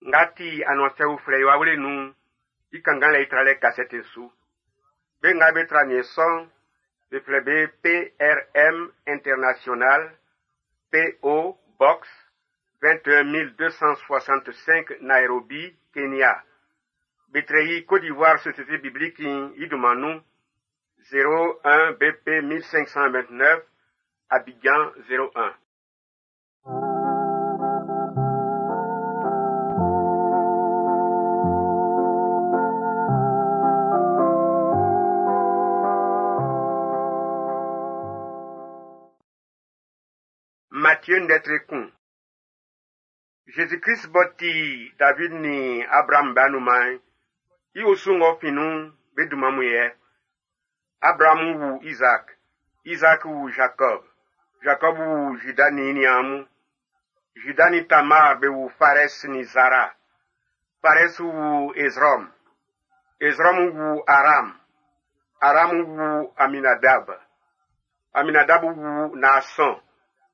Nga ti anuansɛ uflɛ i wawle nun'n, i kannganlɛ i tralɛ kasɛti'n su. Be nga be tra aniɛn sɔ'n, be flɛ be PRM International, PO Box 21265 Nairobi, Kenya. Be trɛ i Côte d'Ivoire Société Biblique i dunman nun 01 BP 1529 Abidjan 01. Matthieu ndɛ tre kun. Jésus-Christ b'ɔ ti David nin Abraham be anunman'n, i osu ng'ɔ fin nun'n, be dunman mun yɛ. Abraham wu Isaac, Isaac wu Jacob, Jacob wu Judas nin i niaan mun. Judas nin Tamar be wu Phares nin Zara. Phares wu Ezrom, Ezrom wu Aram, Aram wu Aminadab, Aminadab wu Naasɔn,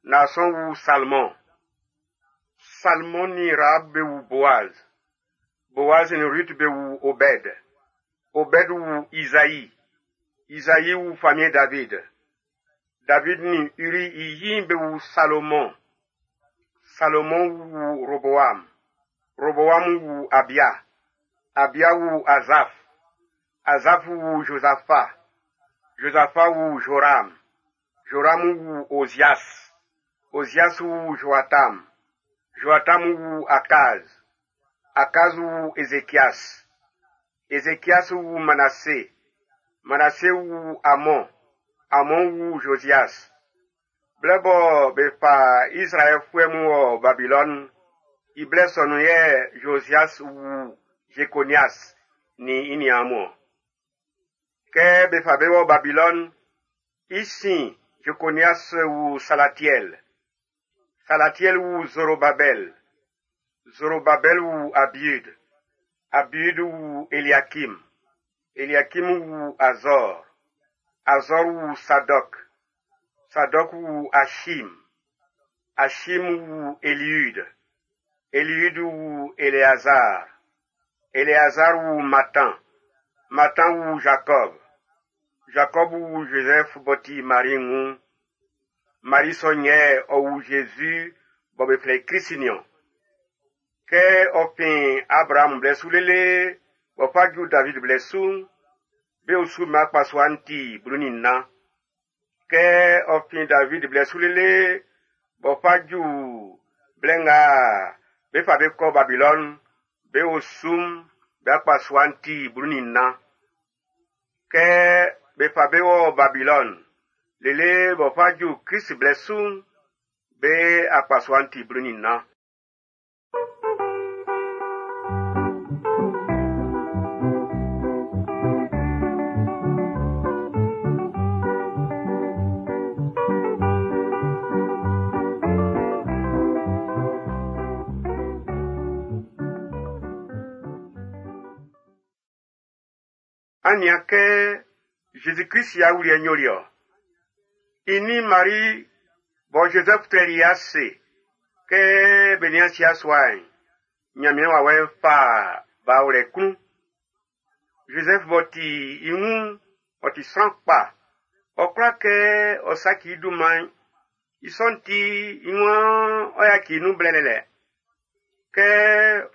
Naasɔn wu Salmon. Salmon nin Rahab be wu Boaz. Boaz nin Ruth be wu Obed. Obed wu Isaï. Isaï wu famiɛn David. David nin Uri i yi'n be wu Salomon. Salomon wu Roboam. Roboam wu Abia. Abia wu Azaf. Azaf wu Josaphat. Josaphat wu Joram. Joram wu Ozias. Ozias wu Joatam. Joatam wu Akaz. Akaz wu Ezekias. Ezekias wu Manassé. Manassé wu Amon. Amon wu Josias. Blɛ bɔ be fa Izraɛlfuɛ mun wɔ Babilɔni, i blɛ sɔ nun yɛ Josias wu Jekonias nin i niaan mun-ɔn. Kɛ be fa be wɔ Babilɔni, i sin Jekonias wu Salatiel. Salatiel wu Zorobabel. Zorobabel wu Abiud. Abiud wu Eliakim. Eliakim wu Azor. Azor wu Sadok. Sadok wu Achim. Achim wu Eliud. Eliud wu Eleazar. Eleazar wu Matan. Matan wu Jacob. Jacob wu Joseph b'ɔ ti Mari wun. Mari sɔ'n yɛ ɔ wu Jésus bɔ be flɛ i Krist niɔn. Kɛ ɔ fin Abraham blɛ su lele b'ɔ fa ju David blɛ su'n, be osu mma akpasua'n ti 14. Kɛ ɔ fin David blɛ su lele b'ɔ fa ju blɛ nga be fa be kɔ Babilɔni'n, be osu'm be akpasua'n ti 14. Kɛ be fa be wɔ Babilɔni lele b'ɔ fa ju Krist blɛ su'n, be akpasua'n ti 14. An nian kɛ Jésus-Christ i awuliɛ'n yoli-ɔ. I nin Marie bɔ Joseph trɛli i ase kɛ be nian sia sua'n, Nyanmiɛn wawɛ'n fa ba wlɛ klun. Joseph b'ɔ ti i wun'n, ɔ ti sran kpa. Ɔ kwla kɛ ɔ saci i dunman'n. I sɔ'n ti, i waan ɔ yaci i nun blɛlɛlɛ. Kɛ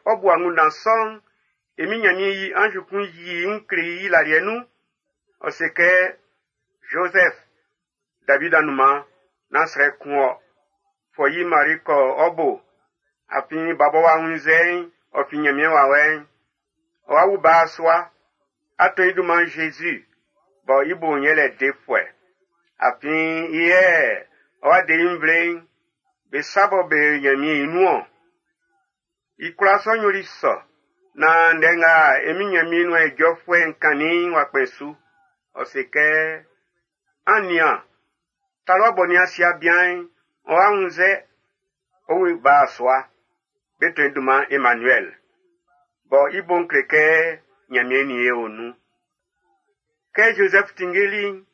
ɔ bu angunndan sɔ'n, e min Nyanmiɛn yi anzu kun yi i wun kle i laliɛ nun. Ɔ se kɛ, Joseph, David anunman, nán srɛ kun ɔ. Fɔ yi Mari kɔ ɔ bo. Afin ba bɔ w'a wunnzɛ'n, ɔ fin Nyanmiɛn wawɛ'n. Ɔ wa wu ba sua. A tɔn i dunman Jésus, bɔ i bo'n yɛlɛ defuɛ. Afin i yɛ ɔ wa de i nvle'n, be sa bɔ be Nyanmiɛn i nun-ɔn. I kwlaa sɔ'n yoli sɔ, naan ndɛ nga e min Nyanmiɛn nuan ijɔfuɛ'n kannin'n w'a kpɛn su. Ɔ se kɛ, An nian, talua bɔ nian sia bian'n, ɔ wa wunnzɛ, ɔ wu ba sua. Be tɔn i dunman Emmanuel, bɔ i bo'n kle kɛ Nyanmiɛn nin e o nun. Kɛ Joseph tinngeli'n,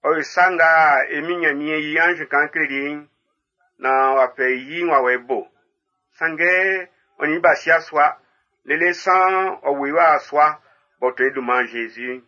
ɔ yo sa nga e min Nyanmiɛn yi anzu kan kleli i'n, naan w'a fɛ i yi'n w'a wɔ i bo. Sanngɛ ɔ nin i b'a sia sua, Lele san ɔ ʼwu i wa yasua b'ɔ ʼtɔn i dunman Jésus'n.